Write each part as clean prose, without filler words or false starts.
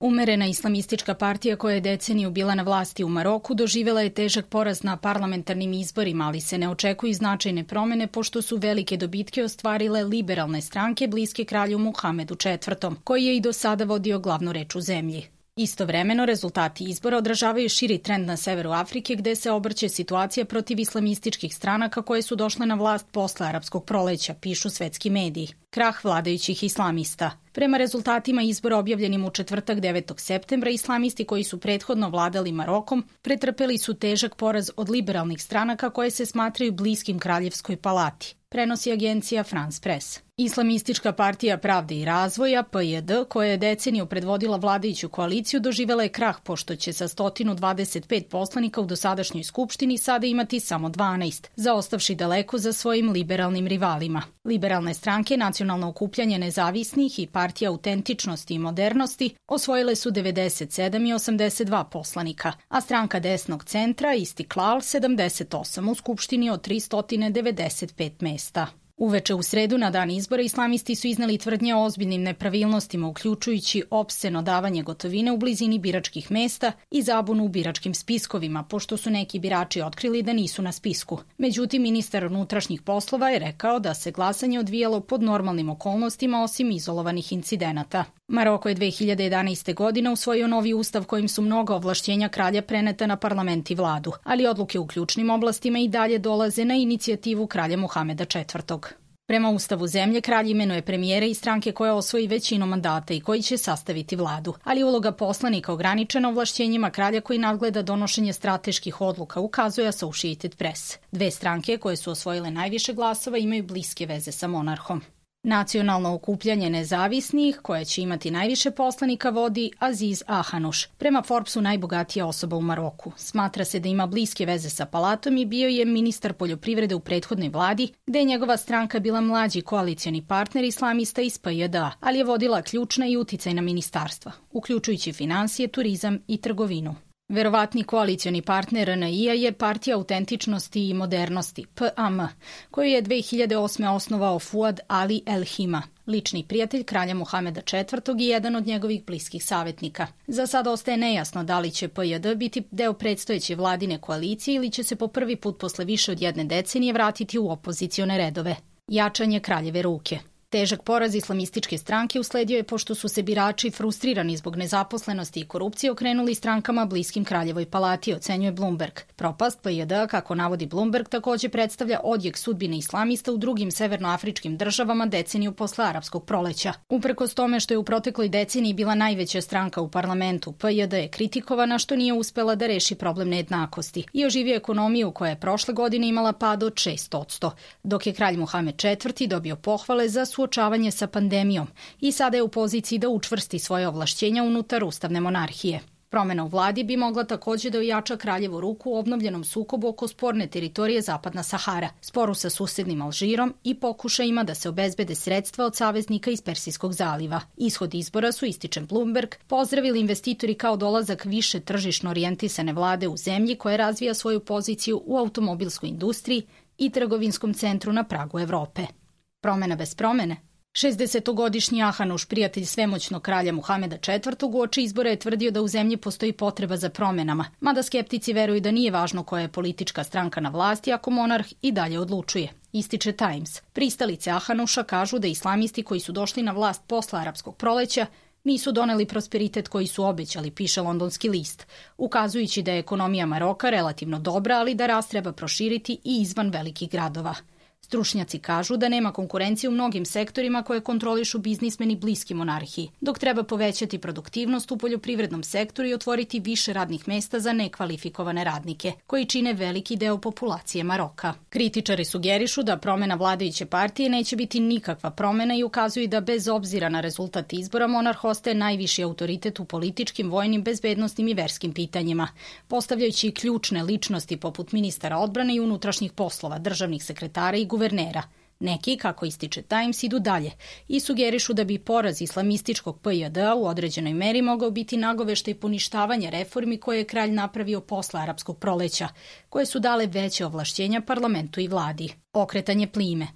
Umerena islamistička partija koja je deceniju bila na vlasti u Maroku doživela je težak poraz na parlamentarnim izborima, ali se ne očekuju značajne promene pošto su velike dobitke ostvarile liberalne stranke bliske kralju Muhamedu IV, koji je i do sada vodio glavnu reč u zemlji. Istovremeno, rezultati izbora odražavaju širi trend na severu Afrike gde se obrće situacija protiv islamističkih stranaka koje su došle na vlast posle arapskog proleća, pišu svetski mediji. Krah vladajućih islamista. Prema rezultatima izbora objavljenim u četvrtak 9. septembra, islamisti koji su prethodno vladali Marokom pretrpeli su težak poraz od liberalnih stranaka koje se smatraju bliskim kraljevskoj palati, prenosi agencija France Press. Islamistička partija Pravde i razvoja, PJD, koja je deceniju predvodila vladajuću koaliciju, doživela je krah pošto će sa 125 poslanika u dosadašnjoj skupštini sada imati samo 12, zaostavši daleko za svojim liberalnim rivalima. Liberalne stranke, Nacionalno okupljanje nezavisnih i Partija autentičnosti i modernosti osvojile su 97 i 82 poslanika, a stranka desnog centra Istiklal 78 u skupštini od 395 mesta. Uveče u sredu na dan izbora islamisti su izneli tvrdnje o ozbiljnim nepravilnostima, uključujući opseno davanje gotovine u blizini biračkih mesta i zabunu u biračkim spiskovima, pošto su neki birači otkrili da nisu na spisku. Međutim, ministar unutrašnjih poslova je rekao da se glasanje odvijalo pod normalnim okolnostima osim izolovanih incidenata. Maroko je 2011. godine usvojio novi ustav kojim su mnoga ovlašćenja kralja preneta na parlament i vladu, ali odluke u ključnim oblastima i dalje dolaze na inicijativu kralja Muhameda IV. Prema ustavu zemlje, kralj imenuje premijera i stranke koja osvoji većinu mandata i koji će sastaviti vladu, ali uloga poslanika ograničena ovlašćenjima kralja koji nadgleda donošenje strateških odluka, ukazuje Associated Press. Dve stranke koje su osvojile najviše glasova imaju bliske veze sa monarhom. Nacionalno okupljanje nezavisnih, koje će imati najviše poslanika, vodi Aziz Ahanuš, prema Forbesu najbogatija osoba u Maroku. Smatra se da ima bliske veze sa palatom i bio je ministar poljoprivrede u prethodnoj vladi, gde je njegova stranka bila mlađi koalicioni partner islamista iz PJD-a, ali je vodila ključna i uticajna ministarstva, uključujući finansije, turizam i trgovinu. Verovatni koalicioni partner RNI-a je Partija autentičnosti i modernosti, PAM, koju je 2008. osnovao Fuad Ali El Hima, lični prijatelj kralja Muhameda IV. I jedan od njegovih bliskih savjetnika. Za sada ostaje nejasno da li će PJD biti deo predstojeće vladine koalicije ili će se po prvi put posle više od jedne decenije vratiti u opozicione redove. Jačanje kraljeve ruke. Težak poraz islamističke stranke usledio je pošto su se birači frustrirani zbog nezaposlenosti i korupcije okrenuli strankama bliskim kraljevoj palati, ocenjuje Bloomberg. Propast PJD, kako navodi Bloomberg, takođe predstavlja odjek sudbine islamista u drugim severnoafričkim državama deceniju posle arapskog proleća. Uprkos tome što je u protekloj deceniji bila najveća stranka u parlamentu, PJD je kritikovana što nije uspela da reši problem nejednakosti i oživio ekonomiju koja je prošle godine imala pad od 6%, dok je kralj Muhamed IV. Dobio pohvale za suočavanje sa pandemijom i sada je u poziciji da učvrsti svoje ovlašćenja unutar ustavne monarhije. Promena u vladi bi mogla takođe da ojača kraljevu ruku u obnovljenom sukobu oko sporne teritorije Zapadna Sahara, sporu sa susednim Alžirom i pokušajima da se obezbede sredstva od saveznika iz Persijskog zaliva. Ishod izbora su, ističe Bloomberg, pozdravili investitori kao dolazak više tržišno orijentisane vlade u zemlji koja razvija svoju poziciju u automobilskoj industriji i trgovinskom centru na pragu Evrope. Promena bez promene. 60-godišnji Ahanuš, prijatelj svemoćnog kralja Muhameda IV, uoči izbora je tvrdio da u zemlji postoji potreba za promenama, mada skeptici veruju da nije važno koja je politička stranka na vlasti ako monarh i dalje odlučuje. Ističe Times. Pristalice Ahanuša kažu da islamisti koji su došli na vlast posle arapskog proleća nisu doneli prosperitet koji su obećali, piše londonski list, ukazujući da je ekonomija Maroka relativno dobra, ali da rast treba proširiti i izvan velikih gradova. Stručnjaci kažu da nema konkurencije u mnogim sektorima koje kontrolišu biznismeni bliski monarhiji, dok treba povećati produktivnost u poljoprivrednom sektoru i otvoriti više radnih mesta za nekvalifikovane radnike, koji čine veliki deo populacije Maroka. Kritičari sugerišu da promena vladajuće partije neće biti nikakva promena i ukazuju da bez obzira na rezultat izbora monarh ostaje najviši autoritet u političkim, vojnim, bezbednosnim i verskim pitanjima, postavljajući ključne ličnosti poput ministara odbrane i unutrašnjih poslova, državnih sekretara i guvernera. Neki, kako ističe Times, idu dalje i sugerišu da bi poraz islamističkog PJD-a u određenoj meri mogao biti nagoveštaj poništavanja reformi koje je kralj napravio posle arapskog proleća, koje su dale veće ovlašćenja parlamentu i vladi. Okretanje plime.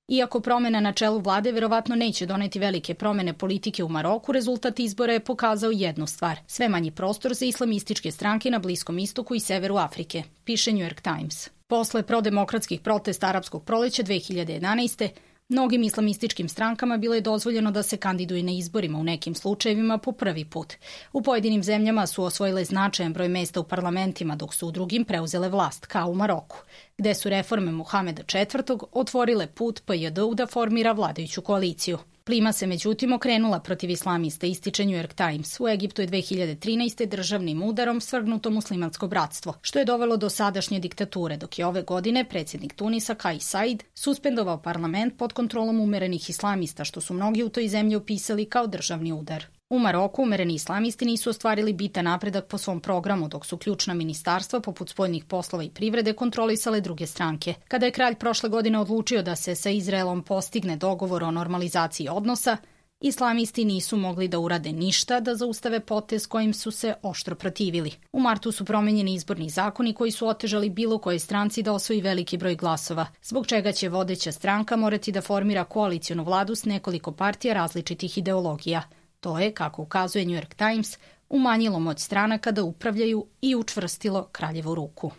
Iako promena na čelu vlade verovatno neće doneti velike promene politike u Maroku, rezultat izbora je pokazao jednu stvar. Sve manji prostor za islamističke stranke na Bliskom istoku i severu Afrike, piše New York Times. Posle prodemokratskih protesta arapskog proleća 2011. Mnogim islamističkim strankama bilo je dozvoljeno da se kandiduju na izborima, u nekim slučajevima po prvi put. U pojedinim zemljama su osvojile značajan broj mesta u parlamentima, dok su u drugim preuzele vlast, kao u Maroku, gde su reforme Muhameda IV. Otvorile put PJD-u da formira vladajuću koaliciju. Plima se međutim okrenula protiv islamista, ističe New York Times. U Egiptu je 2013. državnim udarom svrgnuto muslimansko bratstvo, što je dovelo do sadašnje diktature, dok je ove godine predsjednik Tunisa Kais Saied suspendovao parlament pod kontrolom umerenih islamista, što su mnogi u toj zemlji opisali kao državni udar. U Maroku umereni islamisti nisu ostvarili bitan napredak po svom programu, dok su ključna ministarstva poput spoljnih poslova i privrede kontrolisale druge stranke. Kada je kralj prošle godine odlučio da se sa Izraelom postigne dogovor o normalizaciji odnosa, islamisti nisu mogli da urade ništa da zaustave potez kojim su se oštro protivili. U martu su promenjeni izborni zakoni koji su otežali bilo kojoj stranci da osvoji veliki broj glasova, zbog čega će vodeća stranka morati da formira koalicionu vladu s nekoliko partija različitih ideologija. To je, kako ukazuje New York Times, umanjilo moć stranaka da upravljaju i učvrstilo kraljevu ruku.